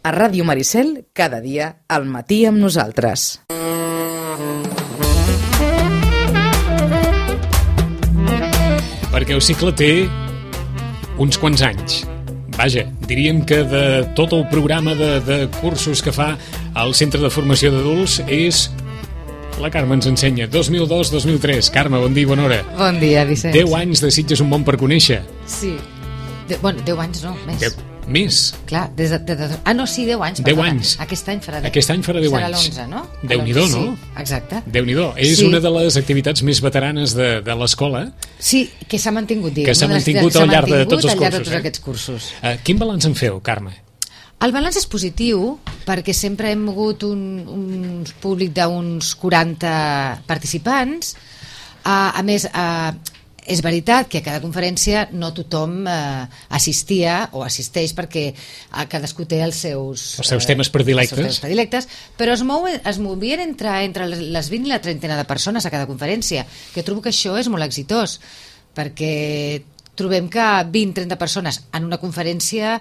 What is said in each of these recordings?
A Ràdio Maricel, cada dia, al matí amb nosaltres. Perquè el cicle té uns quants anys. Vaja, diríem que de tot el programa de cursos que fa al Centre de Formació d'Adults és... La Carme ens ensenya 2002-2003. Carme, bon dia i bona hora. Bon dia, Vicenç. 10 anys de Sitges, un món per conèixer. Sí. 10 anys no, més. Més? Clar, des de... no, sí, 10 anys. 10 anys. Aquest any farà 10. Aquest any farà 10 serà anys. Serà l'11, no? Déu-n'hi-do, no? Sí, exacte. Déu-n'hi-do. És una de les activitats més veteranes de l'escola. Sí, que s'ha mantingut, diguem. Que s'ha mantingut al llarg de tots els cursos. Al llarg de tots aquests cursos. Quin balanç en feu, Carme? El balanç és positiu perquè sempre hem mogut un públic d'uns 40 participants. A més, és veritat que a cada conferència no tothom assistia o assisteix perquè cadascú té els seus temes predilectes. Però es movien entre les 20 i la trentena de persones a cada conferència, que trobo que això és molt exitós, perquè trobem que 20-30 persones en una conferència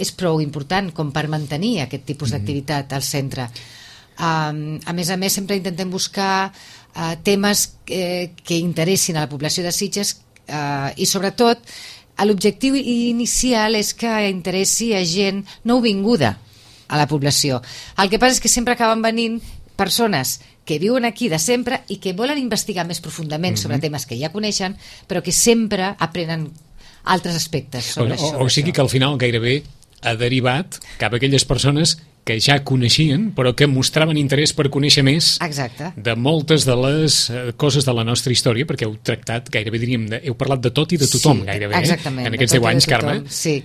és prou important com per mantenir aquest tipus d'activitat al centre. A més, sempre intentem buscar temes que interessin a la població de Sitges i sobretot l'objectiu inicial és que interessi a gent nouvinguda a la població. El que passa és que sempre acaben venint persones que viuen aquí de sempre i que volen investigar més profundament sobre temes que ja coneixen, però que sempre aprenen altres aspectes sobre això. O sigui que al final gairebé ha derivat cap a aquelles persones que ja coneixien però que mostraven interès per conèixer més. Exacte. De moltes de les coses de la nostra història, perquè heu tractat, gairebé diríem, heu parlat de tot i de tothom, gairebé, exactament, en aquests 10 anys, Carme. Sí,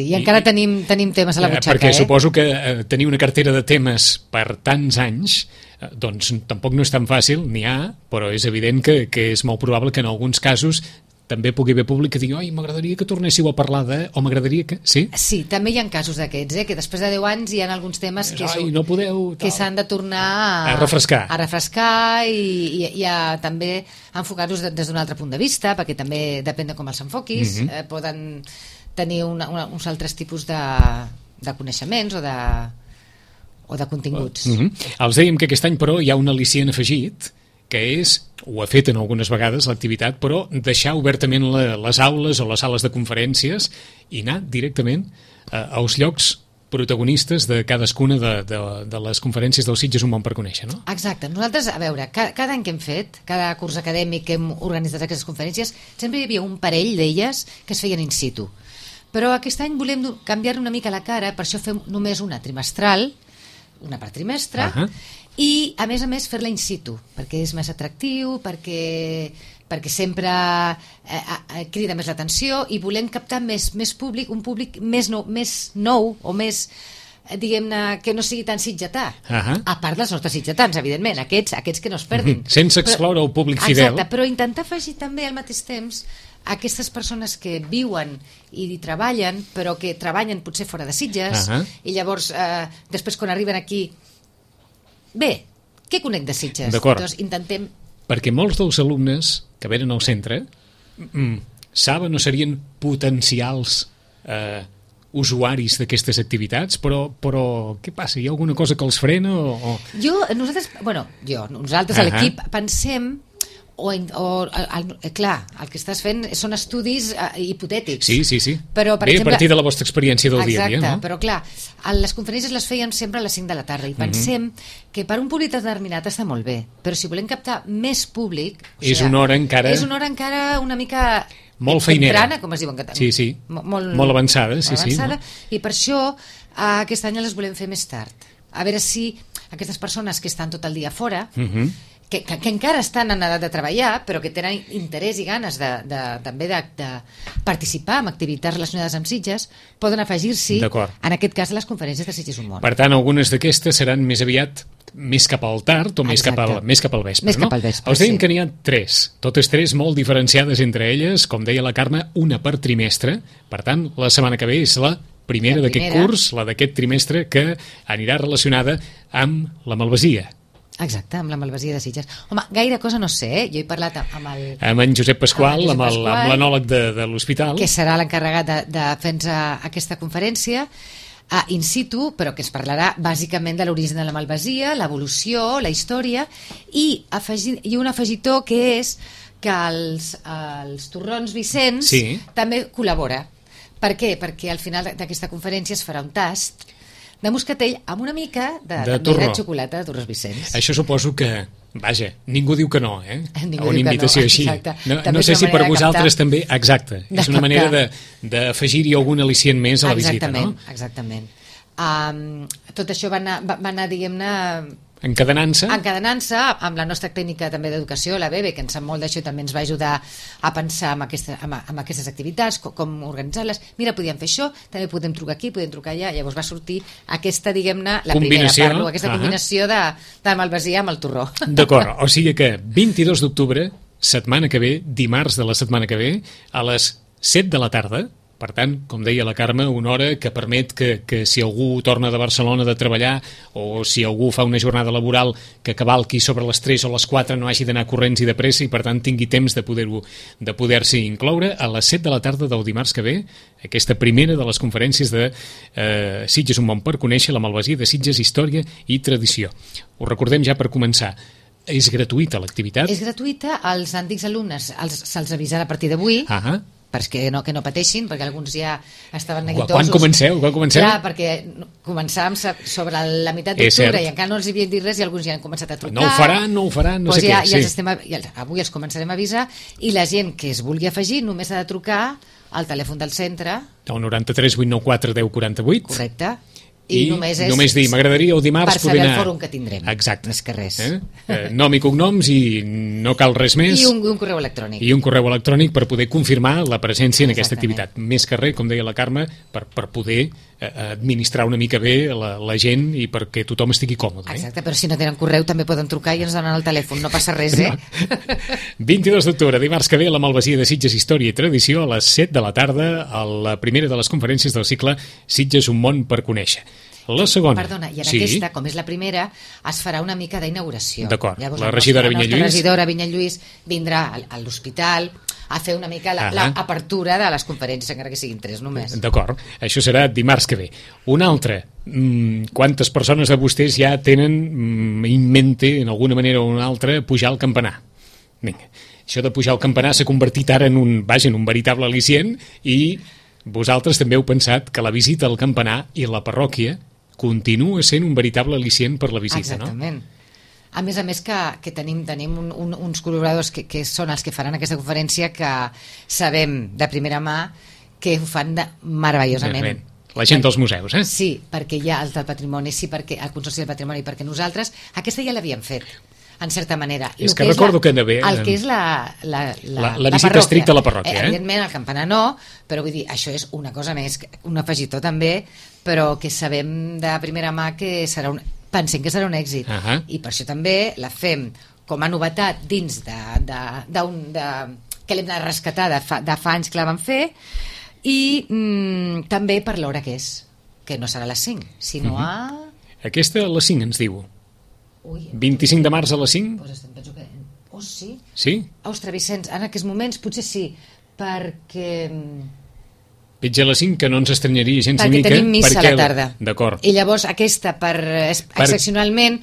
i encara tenim temes a la butxaca. Perquè suposo que tenir una cartera de temes per tants anys, doncs tampoc no és tan fàcil, n'hi ha, però és evident que és molt probable que en alguns casos també pugui haver públic que digui m'agradaria que tornéssiu a parlar o m'agradaria que... Sí? Sí, també hi ha casos d'aquests, que després de 10 anys hi ha alguns temes que s'han de tornar a refrescar. I a també enfocar-los des d'un altre punt de vista, perquè també depèn de com els enfoquis, poden tenir uns altres tipus de coneixements o de continguts. Els dèiem que aquest any, però, hi ha un al·licient afegit, que és, ho ha fet en algunes vegades l'activitat, però deixar obertament les aules o les sales de conferències i anar directament als llocs protagonistes de cadascuna de les conferències del Sitges un món per conèixer, no? Exacte. Nosaltres, a veure, cada any que hem fet, cada curs acadèmic que hem organitzat aquestes conferències, sempre hi havia un parell d'elles que es feien in situ. Però aquest any volem canviar una mica la cara, per això fem només una trimestral, una per trimestre, i a més fer-la in situ, perquè és més atractiu, perquè sempre crida més l'atenció i volem captar més públic, un públic més nou o més, diguem-ne, que no sigui tan sitgetà, a part dels nostres sitgetans, evidentment, aquests que no es perdin. Sense excloure el públic fidel. Exacte, però intentar afegir també al mateix temps aquestes persones que viuen i treballen, però que treballen potser fora de Sitges, i llavors després quan arriben aquí, bé, què conec de Sitges? D'acord. Doncs intentem... Perquè molts dels alumnes que venen al centre saben o serien potencials usuaris d'aquestes activitats, però què passa? Hi ha alguna cosa que els frena? Nosaltres a l'equip pensem clar, el que estàs fent són estudis hipotètics. Sí. Però, per exemple, a partir de la vostra experiència del dia a dia, no? Exacte, però clar, les conferències les fèiem sempre a les 5 de la tarda i pensem que per un públic determinat està molt bé, però si volem captar més públic... És una hora encara una mica... Molt feinera. Temprana, com es diu en català. Sí. Molt avançada, sí. I per això aquest any les volem fer més tard. A veure si aquestes persones que estan tot el dia fora... Que encara estan en edat de treballar, però que tenen interès i ganes també de participar en activitats relacionades amb Sitges, poden afegir-s'hi, en aquest cas, a les conferències de Sitges un món. Per tant, algunes d'aquestes seran més aviat més cap al tard o més cap al vespre, no? Els dèiem que n'hi ha 3, totes 3 molt diferenciades entre elles, com deia la Carme, una per trimestre. Per tant, la setmana que ve és la primera d'aquest curs, la d'aquest trimestre, que anirà relacionada amb la Malvasia. Exacte, amb la Malvasia de Sitges. Home, gaire cosa no sé, jo he parlat amb en Josep Pasqual, amb l'anòleg de l'hospital. Que serà l'encarregat de fer-nos aquesta conferència. in situ, però que es parlarà bàsicament de l'origen de la malvasia, l'evolució, la història, i un afegitó que és que els torrons Vicenç també col·labora. Per què? Perquè al final d'aquesta conferència es farà un tast de moscatell amb una mica de xocolata de torrons Vicenç. Això suposo que, vaja, ningú diu que no, Ningú una invitació així. No sé si per vosaltres també, exacte, és una manera d'afegir-hi algun al·licient més a la visita, no? Exactament. Tot això va anar, diguem-ne, encadenant-se amb la nostra clínica també d'educació, la BEBE, que en sap molt d'això, també ens va ajudar a pensar en aquestes activitats, com organitzar-les. Mira, podíem fer això, també podem trucar aquí, podem trucar allà. Llavors va sortir aquesta, diguem-ne, la primera parlo, aquesta combinació de malvasia amb el torró. D'acord, o sigui que 22 d'octubre, setmana que ve, dimarts de la setmana que ve, a les 7 de la tarda. Per tant, com deia la Carme, una hora que permet que si algú torna de Barcelona de treballar o si algú fa una jornada laboral que cavalqui sobre les 3 o les 4 no hagi d'anar corrents i de pressa i per tant tingui temps de poder-s'hi incloure a les 7 de la tarda del dimarts que ve, aquesta primera de les conferències de Sitges, un món per conèixer, la malvasia de Sitges, història i tradició. Ho recordem ja per començar. És gratuïta l'activitat? És gratuïta, als antics alumnes se'ls avisarà a partir d'avui, perquè que no pateixin, perquè alguns ja estaven neguitosos. Quan comenceu? Clar, perquè començàvem sobre la meitat d'octubre i encara no els havien dit res i alguns ja han començat a trucar. No ho faran, no sé què. Avui els començarem a avisar i la gent que es vulgui afegir només ha de trucar al telèfon del centre. El 93 894 1048. Correcte. I només dir, m'agradaria el dimarts per saber el fòrum que tindrem. Exacte. Més que res. Nom i cognoms i no cal res més. I un correu electrònic. I un correu electrònic per poder confirmar la presència en aquesta activitat. Més que res, com deia la Carme, per poder administrar una mica bé la gent i perquè tothom estigui còmode. Exacte, però si no tenen correu també poden trucar i ens donen el telèfon, no passa res, 22 d'octubre, dimarts que ve, la malvasia de Sitges, història i tradició, a les 7 de la tarda, a la primera de les conferències del cicle Sitges, un món per conèixer. La segona. Perdona, i en aquesta, com és la primera, es farà una mica d'inauguració. D'acord, la regidora Vinyet Lluís. La regidora Vinyet Lluís vindrà a l'hospital a fer una mica l'apertura de les conferències, encara que siguin 3 només. D'acord, això serà dimarts que ve. Una altra, quantes persones de vostès ja tenen en mente, en alguna manera o una altra, pujar al campanar? Vinga, això de pujar al campanar s'ha convertit ara en un veritable al·licient i vosaltres també heu pensat que la visita al campanar i la parròquia continua sent un veritable al·licient per la visita, exactament. A més que tenim uns col·laboradors que són els que faran aquesta conferència que sabem de primera mà que ho fan meravellosament. La gent dels museus, Sí, perquè hi ha el del patrimoni, sí, perquè el Consorci del Patrimoni, perquè nosaltres aquesta ja l'havíem fet, en certa manera. És que recordo que anava... El que és la visita estricta a la parròquia. Evidentment, el campanar no, però vull dir, això és una cosa més, un afegitó també, però que sabem de primera mà que pensem que serà un èxit. I per això també la fem com a novetat dins que l'hem de rescatar de fa anys que la vam fer i també per l'hora que és, que no serà a les 5, sinó a... Aquesta a les 5 ens diu. 25 de març a les 5? Penso que... Oh, sí? Sí? Ostres, Vicenç, en aquests moments potser sí, perquè... Pitja a les 5, que no ens estranyaria gens perquè mica. Perquè tenim missa a la tarda. D'acord. I llavors aquesta, excepcionalment,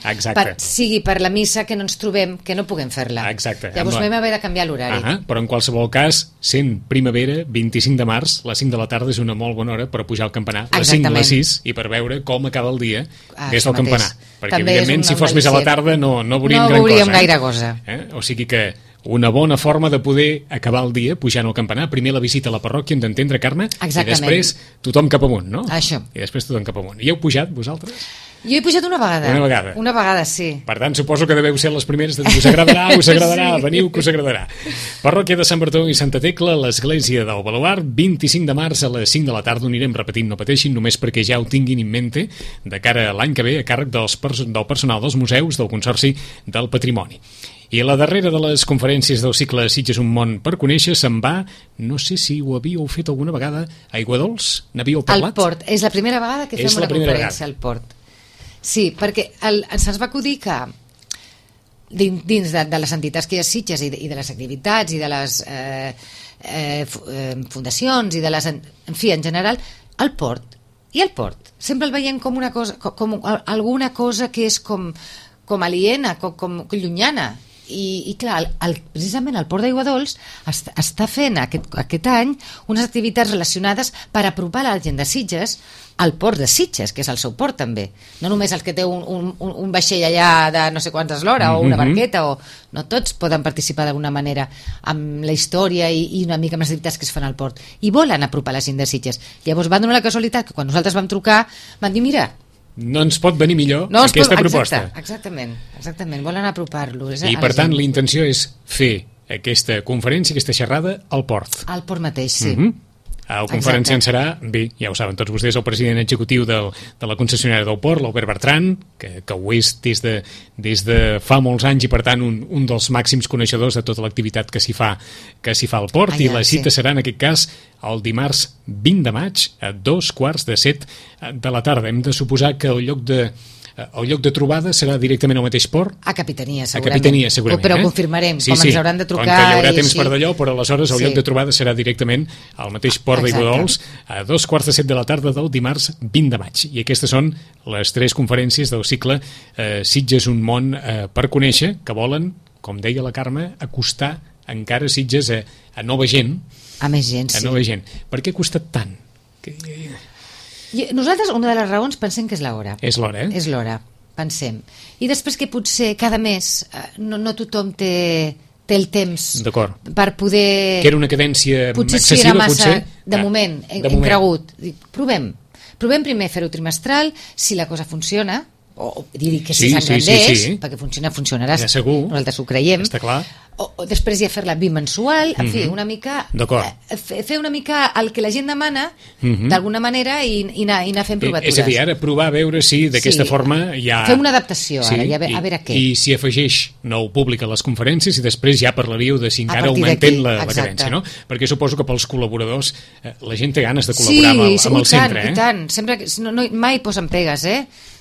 sigui per la missa que no ens trobem, que no puguem fer-la. Exacte. Llavors vam haver de canviar l'horari. Però en qualsevol cas, sent primavera, 25 de març, les 5 de la tarda és una molt bona hora per pujar al campanar. Les 5 a les 6, i per veure com acaba el dia des del campanar. Perquè, evidentment, si fos més a la tarda no veuríem gran cosa. No veuríem gaire cosa. O sigui que una bona forma de poder acabar el dia pujant al campanar. Primer la visita a la parròquia, hem d'entendre, Carme, exactament. I després tothom cap amunt, no? Això. I després tothom cap amunt. I heu pujat, vosaltres? Jo he pujat una vegada. Una vegada, sí. Per tant, suposo que deveu ser les primeres de dir, us agradarà, sí. Veniu que us agradarà. Parròquia de Sant Bartó i Santa Tecla, l'església del Baluard, 25 de març a les 5 de la tarda, ho anirem repetint, no pateixin, només perquè ja ho tinguin en mente, de cara a l'any que ve, a càrrec del personal dels museus del Consorci del Patrimoni. I la darrera de les conferències del cicle Sitges, un món per conèixer, se'n va, no sé si ho havíeu fet alguna vegada, a Aiguadols? N'havíeu parlat? Al Port, és la primera vegada que fem una conferència al Port. Sí, perquè se'ns va acudir que dins de les entitats que hi ha a Sitges i de les activitats i de les fundacions i de les... En fi, en general, al Port I el port? Sempre el veiem com una cosa, com alguna cosa que és com aliena, com llunyana. I clar, precisament el Port d'Aiguadols està fent aquest any unes activitats relacionades per apropar la gent de Sitges al Port de Sitges, que és el seu port també, no només el que té un vaixell allà de no sé quantes l'hora o una barqueta, no tots poden participar d'alguna manera amb la història i una mica amb les activitats que es fan al port, i volen apropar la gent de Sitges. Llavors va donar la casualitat que quan nosaltres vam trucar van dir, mira, no ens pot venir millor aquesta proposta. Exactament, volen apropar-lo. I per tant la intenció és fer aquesta conferència, aquesta xerrada al port. Al port mateix, sí. El conferenciant serà, bé, ja ho saben tots vostès, el president executiu de la concessionària del port, l'Albert Bertran, que ho és des de fa molts anys i per tant un dels màxims coneixedors de tota l'activitat que s'hi fa al port, i la cita serà en aquest cas el dimarts 20 de maig a 2:15 de la tarda. Hem de suposar que el lloc de trobada serà directament al mateix port? A Capitania, segurament. Però confirmarem, com ens hauran de trucar. Com que hi haurà temps per d'allò, però aleshores el lloc de trobada serà directament al mateix port d'Aiguadols a 2:15 de la tarda del dimarts 20 de maig. I aquestes són les 3 conferències del cicle Sitges, un món per conèixer, que volen, com deia la Carme, acostar encara Sitges a nova gent. A més gent, sí. A nova gent. Per què ha costat tant? Nosaltres, una de les raons, pensem que és l'hora. És l'hora, És l'hora, pensem. I després que potser cada mes no tothom té el temps per poder... Que era una cadència excessiva, potser. Potser era massa, de moment, hem cregut. Provem primer fer-ho trimestral, si la cosa funciona, o dir que si s'engrandeix, perquè funcionarà, nosaltres ho creiem. Està clar. O després ja fer-la bimensual, en fi, una mica fer una mica el que la gent demana d'alguna manera i anar fent provatures. És a dir, ara provar a veure si d'aquesta forma ja... Fem una adaptació ara, a veure què. I si afegeix nou públic a les conferències i després ja parlaríeu de si encara augmentem la cadència, no? Perquè suposo que pels col·laboradors la gent té ganes de col·laborar amb el centre. Sí, i tant. Sempre, mai posen pegues,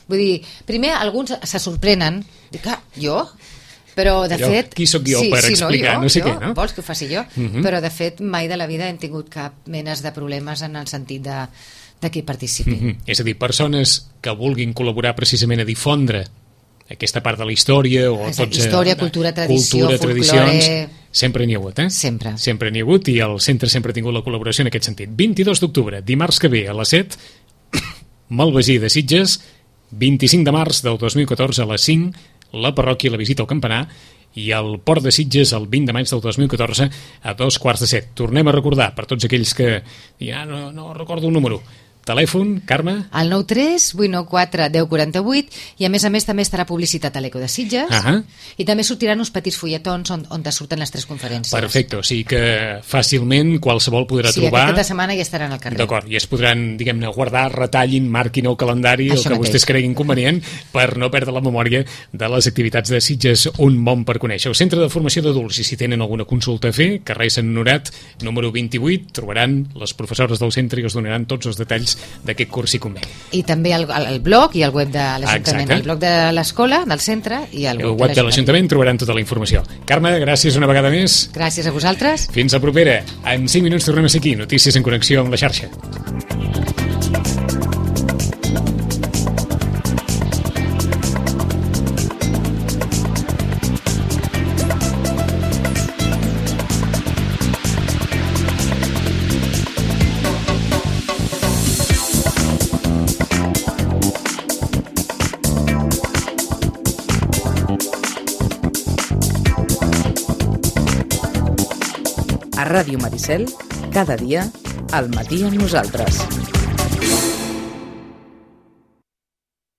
Vull dir, primer alguns se sorprenen, dic, jo... Però, de fet... Qui sóc jo per explicar? No sé què, no? Vols que ho faci jo? Però, de fet, mai de la vida hem tingut cap menes de problemes en el sentit de que hi participi. És a dir, persones que vulguin col·laborar precisament a difondre aquesta part de la història o tots... Història, cultura, tradició, folklore... Sempre n'hi ha hagut, Sempre. Sempre n'hi ha hagut i el centre sempre ha tingut la col·laboració en aquest sentit. 22 d'octubre, dimarts que ve a les 7, Malvasí de Sitges, 25 de març del 2014 a les 5, la parròquia, la visita al campanar, i el Port de Sitges el 20 de maig del 2014 a 2:15. Tornem a recordar, per tots aquells que no recordo el número, telèfon, Carme? El 93 894 1048, i a més també estarà publicitat a l'Eco de Sitges, i també sortiran uns petits fulletons on surten les 3 conferències. Perfecte, o sigui que fàcilment qualsevol podrà trobar... Sí, aquesta setmana ja estaran al carrer. D'acord, i es podran, diguem-ne, guardar, retallin, marquin el calendari, el que vostès creguin convenient, per no perdre la memòria de les activitats de Sitges, un món per conèixer. El Centre de Formació d'Adults, i si tenen alguna consulta a fer, carrer Sant Honorat, número 28, trobaran les professores del centre i us donaran tots els detalls d'aquest curs i conveni. I també el blog i el web de l'Ajuntament, el blog de l'escola, del centre, i el web de l'Ajuntament trobaran tota la informació. Carme, gràcies una vegada més. Gràcies a vosaltres. Fins la propera. En 5 minuts tornem a ser aquí, notícies en connexió amb la xarxa. A Ràdio Maricel, cada dia, al matí amb nosaltres.